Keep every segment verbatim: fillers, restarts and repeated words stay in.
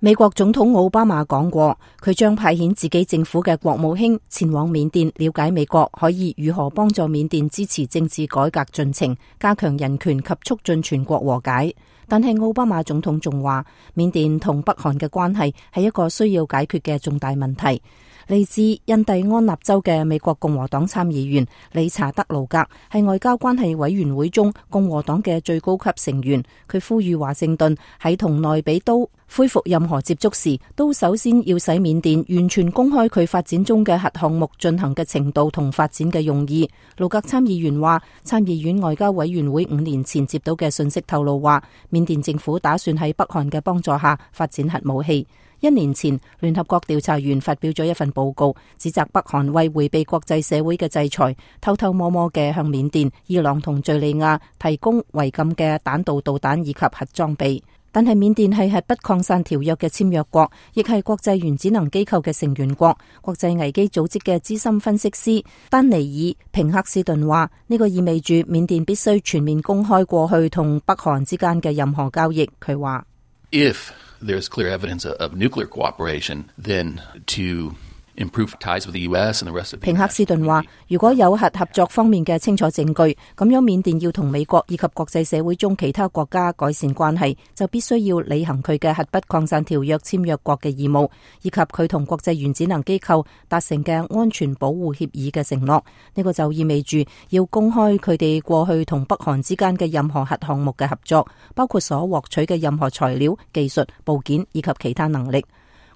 美國總統奧巴馬講過，佢將派遣自己政府嘅國務卿前往緬甸，了解美國可以如何幫助緬甸支持政治改革進程，加強人權及促進全國和解。但係奧巴馬總統仲話，緬甸同北韓嘅關係係一個需要解決嘅重大問題。嚟自印第安納州嘅美國共和黨參議員理查德魯格係外交關係委員會中共和黨嘅最高級成員，佢呼籲華盛頓喺同內比都恢復任何接觸時，都首先要使緬甸完全公開佢發展中嘅核項目進行嘅程度同發展嘅用意。魯格參議員話，參議院外交委員會五年前接到嘅信息透露話，緬甸政府打算喺北韓嘅幫助下發展核武器。一年前，聯合國調查員發表咗一份報告，指責北韓為迴避國際社會嘅制裁，偷偷摸摸嘅向緬甸、伊朗同敘利亞提供違禁嘅彈道導彈以及核裝備。但係緬甸係核不擴散條約嘅簽約國，亦係國際原子能機構嘅成員國。國際危機組織嘅資深分析師丹尼爾平克斯頓話，呢個意味住緬甸必須全面公開過去同北韓之間嘅任何交易。佢話，If there's clear evidence of nuclear cooperation, then to improve ties with the U S and the rest of the 平克斯頓話，如果有核合作方面嘅清楚證據，咁樣緬甸要同美國以及國際社會中其他國家改善關係，就必須要履行佢嘅核不擴散條約簽約國嘅義務，以及佢同國際原子能機構達成嘅安全保護協議嘅承諾。呢個就意味住要公開佢哋過去同北韓之間嘅任何核項目嘅合作，包括所獲取嘅任何材料、技術、部件以及其他能力。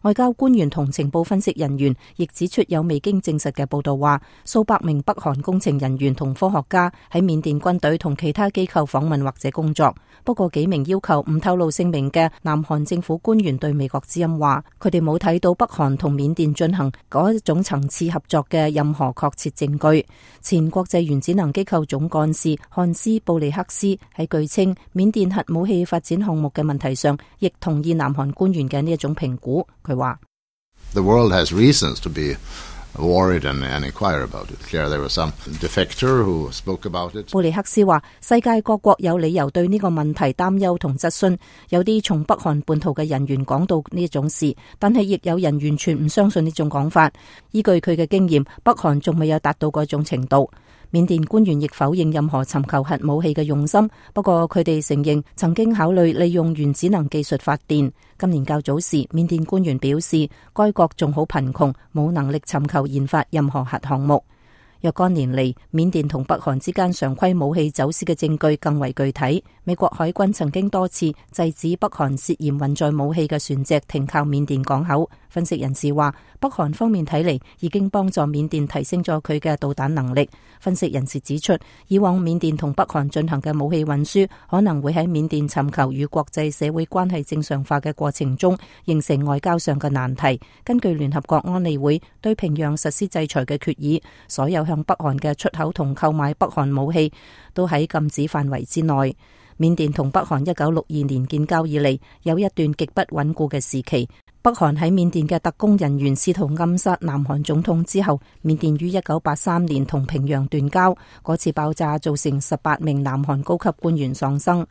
外交官員同情報分析人員亦指出，有未經證實嘅報道話，數百名北韓工程人員同科學家喺緬甸軍隊同其他機構訪問或者工作。不過幾名要求唔透露姓名嘅南韓政府官員對美國之音話，佢哋冇睇到北韓同緬甸進行嗰一種層次合作嘅任何確切證據。前國際原子能機構總幹事漢斯布利克斯喺據稱緬甸核武器發展項目嘅問題上，亦同意南韓官員嘅呢一種評估。佢話：The world has reasons to be worried and inquire about it. There was some defector who spoke about it. 布利克斯話：世界各國有理由對呢個問題擔憂同質詢，有啲從北韓叛徒嘅人員講到呢一種事，但係亦有人完全唔相信呢種講法。依據佢嘅經驗，北韓仲未有達到嗰種程度。緬甸官員亦否認任何尋求核武器嘅用心，不過佢哋承認曾經考慮利用原子能技術發電。今年較早時，緬甸官員表示，該國仲好貧窮，冇能力尋求研發任何核項目。若干年嚟，緬甸同北韓之間常規武器走私嘅證據更為具體。美國海軍曾經多次制止北韓涉嫌運載武器嘅船隻停靠緬甸港口。分析人士話，北韓方面睇嚟已經幫助緬甸提升咗佢嘅導彈能力。分析人士指出，以往緬甸同北韓進行嘅武器運輸可能會喺緬甸尋求與國際社會關係正常化嘅過程中形成外交上嘅難題。根據聯合國安理會對平壤實施制裁嘅決議，所有向北韓嘅出口同購買北韓武器都喺禁止範圍之內。緬甸同北韓一九六二年建交以嚟，有一段極不穩固嘅時期。北韓喺緬甸嘅特工人員試圖暗殺南韓總統之後，緬甸於一九八三年同平壤斷交。嗰次爆炸造成十八名南韓高級官員喪生。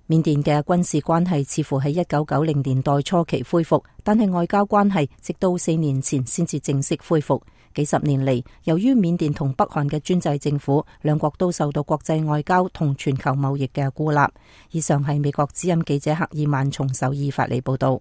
緬甸嘅軍事關係似乎喺一九九零年代初期恢復，但係外交關係直到四年前先至正式恢復。幾十年嚟，由於緬甸同北韓嘅專制政府，兩國都受到國際外交同全球貿易嘅孤立。以上係美國之音記者克爾曼從首爾發嚟報道。